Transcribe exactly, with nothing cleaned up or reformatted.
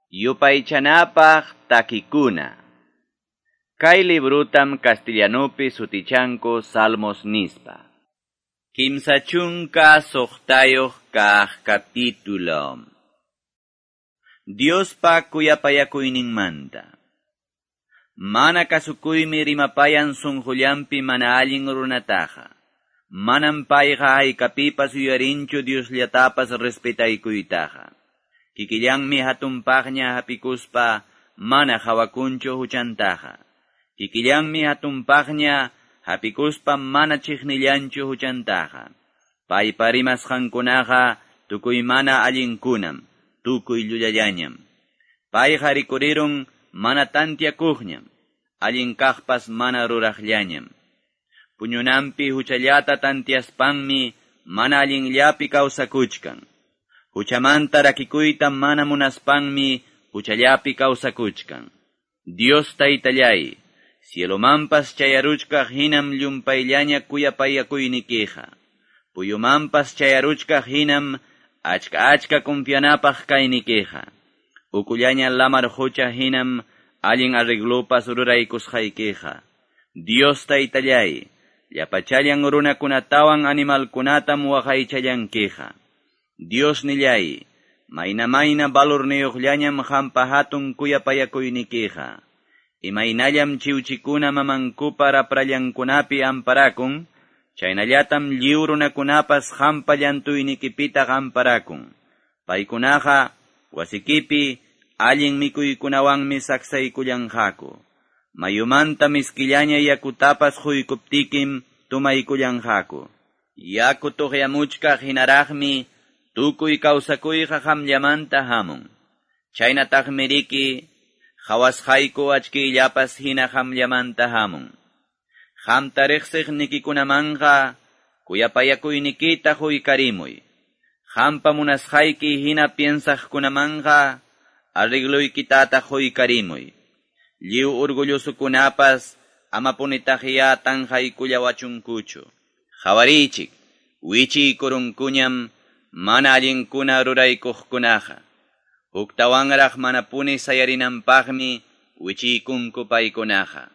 Yupaychanapaq takikuna. Kay librutam castellanupi sutichanku Salmos nispa. Kimsa chunka suqtayuq kaq capítulo. Diospa kuyapayakuyninmanta. Mana kasukuymi rimapayan sunqullanpi mana allin runataqa. Manam payqa haykapipas yuyarinchu Diosllatapas respetaykuytaqa. Kikillanmi hatunpaqña hapikuspa mana hawakunchu huchantaqa. Kikillanmi hatunpaqña hapikuspa mana chiqnillanchu huchantaqa. Paypa rimasqankunaqa tukuy mana allinkunam, tukuy llullallañam. Payqa rikurirun mana tantiakuqñam, allin kaqpas mana ruraqllañam. Puñunanpi huchallata tantiaspanmi mana allinllapi kawsakuchkan. Huchamanta rakikuyta mana munaspanmi huchallapi kawsakuchkan. Dios taytallay, cielomanpas chayaruchkaq hinam llumpayllaña kuyapayakuynikiqa. Puyumanpas chayaruchkaq hinam achka achka confianapaq kaynikiqa. Ukullaña lamar hucha hinam allin arreglopas ruraykusqaykiqa. Dios taytallay, llapachallan runakunatawan animalkunatam waqaychallankiqa. Dios nillay, mayna mayna valorniyuqllañam qampa hatun kuyapayakuynikiqa. Imaynallam chiwchikuna mamankupa raprallankunapi amparakun, chaynallatam lliw runakunapas qampa llantuynikipitaq amparakun. Paykunaqa wasikipi allin mikuykunawanmi saksaykullanqaku. Mayumanta miskillaña yakutapas quykuptikim tumaykullanqaku. Yaku tuqyamuchkaq hinaraqmi tukuy kawsakuyqa qamllamanta hamun. Chaynataqmi riki qhawasqayku achkiyllapas hina qamllamanta hamun. Qamta riqsiqnikikunamanqa kuyapayakuynikita quykarimuy. Qampa munasqayki hina piensaqkunamanqa arregloykitata quykarimuy. Lliw orgullosukunapas amapunitaqya tanqaykullawachunkuchu. Qhawariychik, wichiykurunkuñam mana allinkuna ruraykuqkunaqa. Huktawanraq manapuni sayarinanpaqmi wichiykunku paykunaqa.